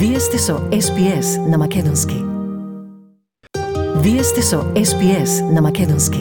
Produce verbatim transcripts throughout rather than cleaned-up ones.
Вие сте со Ес Би Ес на Македонски. Вие сте со Ес Би Ес на Македонски.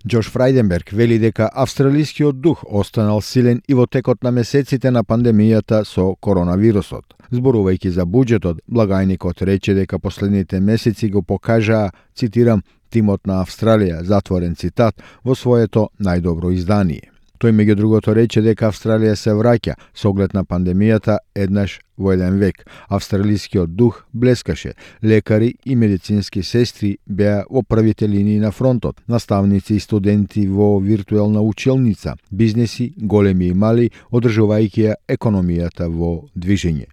Џош Фрајденберг вели дека австралискиот дух останал силен и во текот на месеците на пандемијата со коронавирусот. Зборувајќи за буџетот, благајникот рече дека последните месеци го покажаа, цитирам, тимот на Австралија, затворен цитат, во своето најдобро издание. Тој меѓу другото рече дека Австралија се враќа со оглед на пандемијата еднаш во еден век. Австралискиот дух блескаше. Лекари и медицински сестри беа во првите линии на фронтот. Наставници и студенти во виртуелна училница, бизнеси, големи и мали, одржувајќи ја економијата во движење.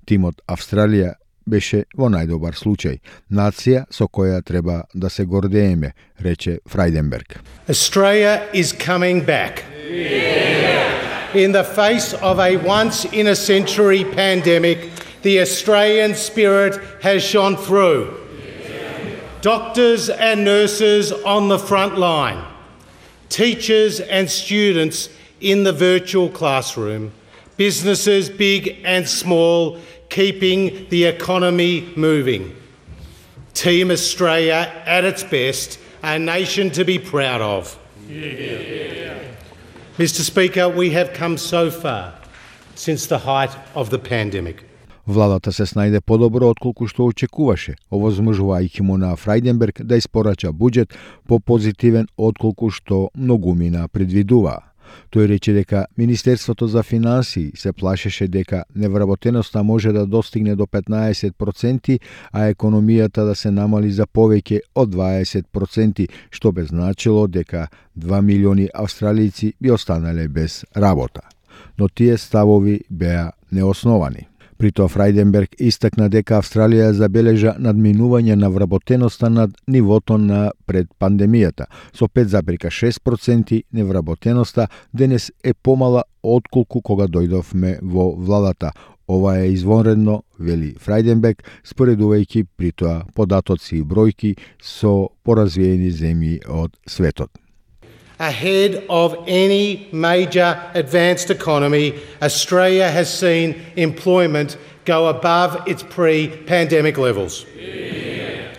Тимот Австралија беше во најдобар случај. Нација со која треба да се гордееме, рече Фрајденберг. Australia is coming back. Yeah. In the face of a once-in-a-century pandemic, the Australian spirit has shone through. Yeah. Doctors and nurses on the front line, teachers and students in the virtual classroom, businesses big and small, keeping the economy moving. Team Australia at its best, a nation to be proud of. Yeah. Mister Speaker, we have come so far since the height of the pandemic. Владата се снајде подобро отколку што очекуваше, овозможувајќи му на Фрајденберг да испорача буџет по-позитивен отколку што многумина предвидуваа. Тој рече дека Министерството за финансии се плашеше дека невработеноста може да достигне до петнаесет проценти, а економијата да се намали за повеќе од дваесет проценти, што би значило дека два милиони австралијци би останале без работа. Но тие ставови беа неосновани. При тоа Фрајденберг истакна дека Австралија забележа надминување на вработеноста над нивото на пред пандемијата. Со пет зарез и шест проценти невработеноста денес е помала отколку кога дојдовме во владата. Ова е извонредно, вели Фрајденберг, споредувајќи при тоа податоци и бројки со поразвиени земји од светот. Ahead of any major advanced economy, Australia has seen employment go above its pre-pandemic levels. Yeah.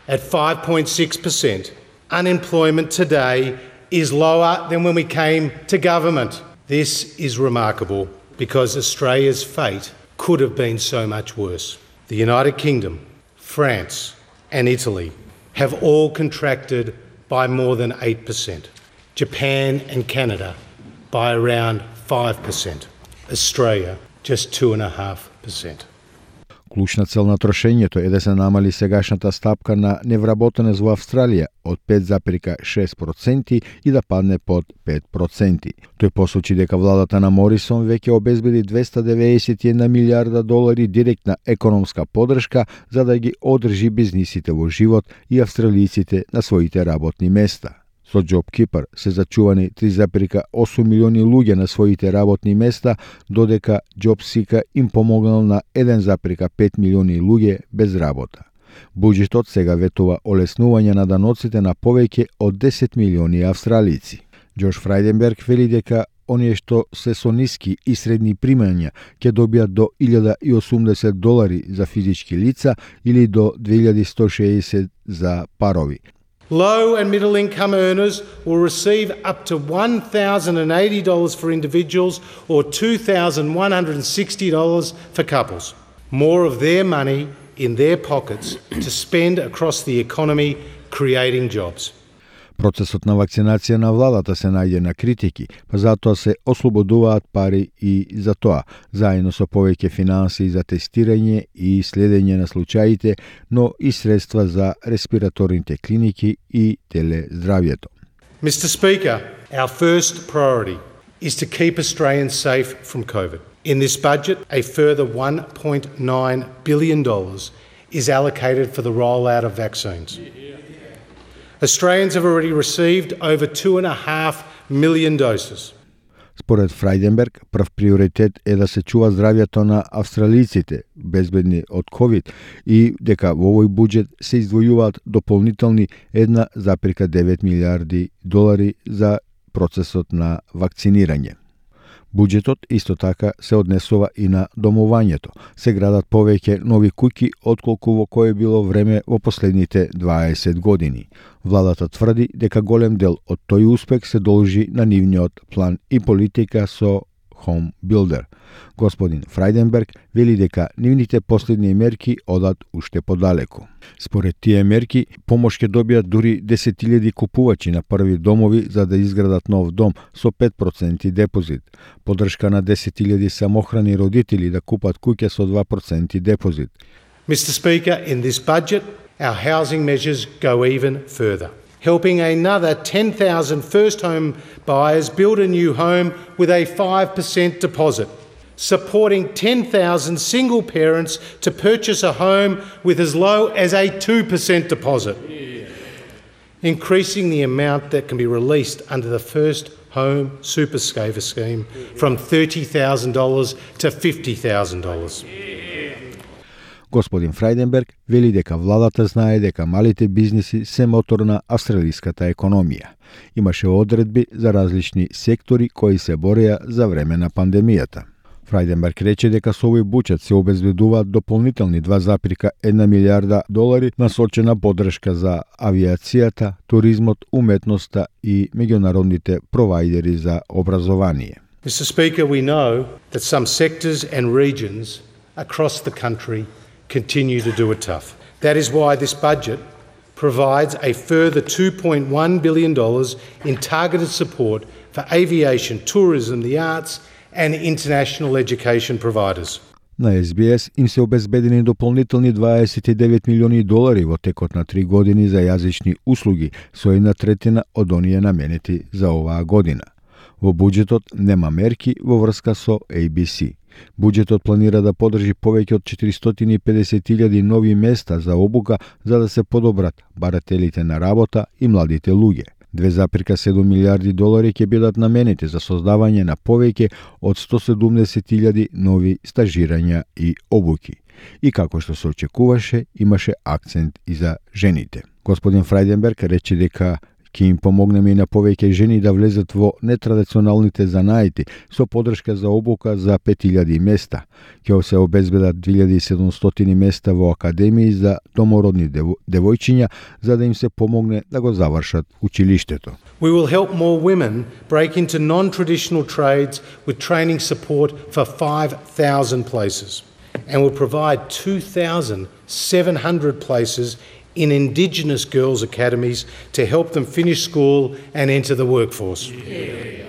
At five point six percent, unemployment today is lower than when we came to government. This is remarkable because Australia's fate could have been so much worse. The United Kingdom, France and Italy have all contracted by more than eight percent. Japan and Canada by around five percent. Australia just two point five percent. Клучна цел на трошењето е да се намали сегашната стапка на невработеност во Австралија од пет зарез и шест проценти и да падне под пет проценти. Тој посочи дека владата на Морисон веќе обезбеди двеста деветдесет и една милијарда долари директна економска поддршка за да ги одржи бизнисите во живот и австралијците на своите работни места. Со JobKeeper се зачувани три зарез и осум милиони луѓе на своите работни места, додека JobSeeker им помогнал на еден зарез и пет милиони луѓе без работа. Буџетот сега ветува олеснување на даноците на повеќе од десет милиони австралијци. Џош Фрајденберг вели дека оние што се со ниски и средни примања ќе добијат до илјада и осумдесет долари за физички лица или до две илјади и сто шеесет за парови. Low and middle income earners will receive up to one thousand eighty dollars for individuals or two thousand one hundred sixty dollars for couples. More of their money in their pockets to spend across the economy creating jobs. Процесот на вакцинација на владата се најде на критики, па затоа се ослободуваат пари и за тоа, заедно со повеќе финансии за тестирање и следење на случаите, но и средства за респираторните клиники и телездравјето. Mister Speaker, our first priority is to keep Australians safe from COVID. In this budget, a further one point nine billion dollars is allocated for the rollout of vaccines. Australians have already received over two and a half million doses. Според Фрајденберг, прв приоритет е да се чува здравјето на австралијците безбедни од ковид и дека во овој буџет се издвојуваат дополнителни една зарез и девет милијарди долари за процесот на вакцинирање. Буџетот исто така се однесува и на домувањето. Се градат повеќе нови куќи отколку во кое било време во последните дваесет години. Владата тврди дека голем дел од тој успех се должи на нивниот план и политика со Home Builder. Господин Фрајденберг вели дека нивните последни мерки одат уште подалеку. Според тие мерки, помош ќе добијат дури десет илјади купувачи на први домови за да изградат нов дом со пет проценти депозит. Поддршка на десет илјади самохрани родители да купат куќа со два проценти депозит. Mister Speaker, in this budget, our housing measures go even further, helping another ten thousand first home buyers build a new home with a five percent deposit, supporting ten thousand single parents to purchase a home with as low as a two percent deposit, increasing the amount that can be released under the First Home Super Saver scheme from thirty thousand dollars to fifty thousand dollars. Господин Фрајденберг вели дека владата знае дека малите бизниси се мотор на австралиската економија. Имаше одредби за различни сектори кои се бореа за време на пандемијата. Фрајденберг рече дека со овој буџет се обезбедуваат дополнителни два запирка една милијарда долари насочена поддршка за авиацијата, туризмот, уметноста и меѓународните провајдери за образование. Mister Speaker, we know that some sectors and regions across the country continue to do it tough. That is why this budget provides a further two point one billion dollars in targeted support for aviation, tourism, the arts and international education providers. На Ес Би Ес им се обезбедени дополнителни дваесет и девет милиони долари во текот на три години за јазични услуги, со една третина од оние наменети за оваа година. Во буџетот нема мерки во врска со Ей Би Си. Буџетот планира да поддржи повеќе од четиристотини и педесет илјади нови места за обука за да се подобрат барателите на работа и младите луѓе. две запирка седум милијарди долари ќе бидат наменети за создавање на повеќе од сто седумдесет илјади нови стажирања и обуки. И како што се очекуваше, имаше акцент и за жените. Господин Фрајденберг рече дека ќе им помогнеме и на повеќе жени да влезат во нетрадиционалните занаити со поддршка за обука за пет илјади места. Ќе се обезбедат две илјади и седумстотини места во академии за домородни девојчиња за да им се помогне да го завршат училиштето. We will help more women break into non-traditional trades with training support for five thousand places, and will provide two thousand seven hundred places in Indigenous girls' academies to help them finish school and enter the workforce. Yeah.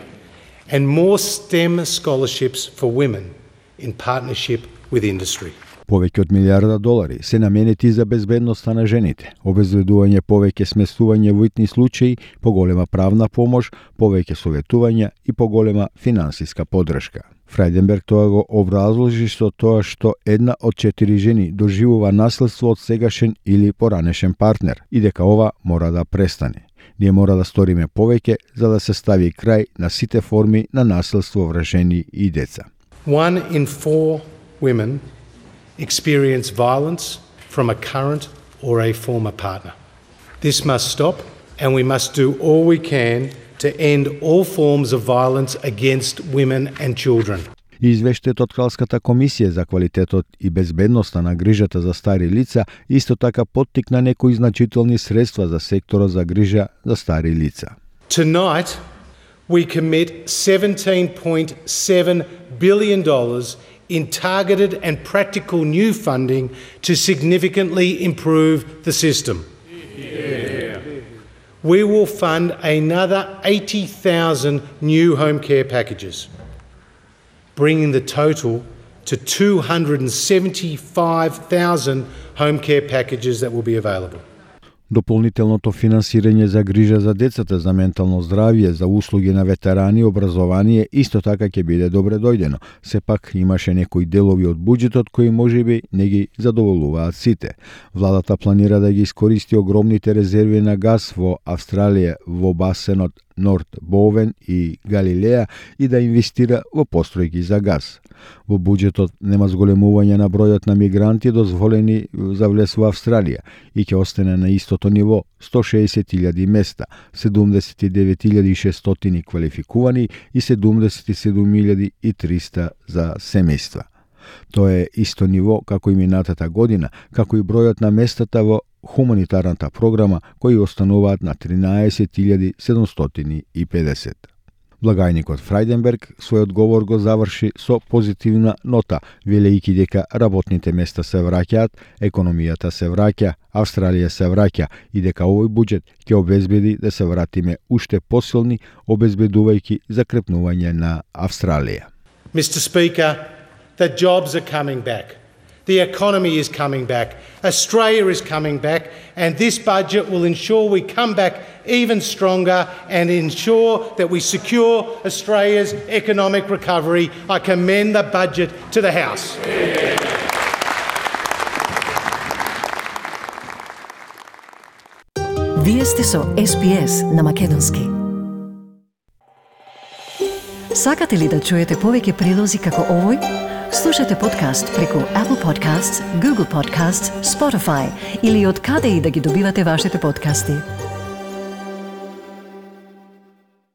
And more STEM scholarships for women in partnership with industry. Повеќе од милијарда долари се наменети за безбедноста на жените, обезбедување повеќе сместување во итни случаи, поголема правна помош, повеќе советувања и поголема финансиска поддршка. Фрајденберг тоа го образложи со тоа што една од четири жени доживува наследство од сегашен или поранешен партнер и дека ова мора да престане. Ние мора да сториме повеќе за да се стави крај на сите форми на наследство врз жени и деца. One in four women experience violence from a current or a former partner. This must stop, and we must do all we can to end all forms of violence against women and children. И извештајот од Кралската комисија за квалитетот и безбедноста на грижата за стари лица исто така поттикна некои значителни средства за секторот за грижа за стари лица. Tonight, we commit seventeen point seven billion dollars in targeted and practical new funding to significantly improve the system. Yeah. We will fund another eighty thousand new home care packages, bringing the total to two hundred seventy-five thousand home care packages that will be available. Дополнителното финансирање за грижа за децата, за ментално здравје, за услуги на ветерани, образование исто така ќе биде добре дојдено. Сепак имаше некои делови од буџетот кои можеби не ги задоволуваат сите. Владата планира да ги искористи огромните резерви на газ во Австралија во басенот Норд Бовен и Галилеја и да инвестира во постројки за газ. Во буџетот нема зголемување на бројот на мигранти дозволени за влез во Австралија и ќе остане на истото ниво сто шеесет илјади места, седумдесет и девет илјади и шестстотини квалификувани и седумдесет и седум илјади и триста за семејства. Тоа е исто ниво како и минатата година, како и бројот на местата во хуманитарната програма кои остануваат на тринаесет илјади седумстотини и педесет. Благајникот Фрајденберг својот говор го заврши со позитивна нота, велејќи дека работните места се враќаат, економијата се враќа, Австралија се враќа и дека овој буџет ќе обезбеди да се вратиме уште посилни, обезбедувајќи закрепнување на Австралија. Mister Speaker, the jobs are coming back. The economy is coming back. Australia is coming back, and this budget will ensure we come back even stronger and ensure that we secure Australia's economic recovery. I commend the budget to the House. Вие сте со Ес Би Ес на Македонски. Сакате ли да чуете повеќе прилози како овој? Слушате подкаст преку Apple Podcasts, Google Podcasts, Spotify или од каде и да ги добивате вашите подкасти.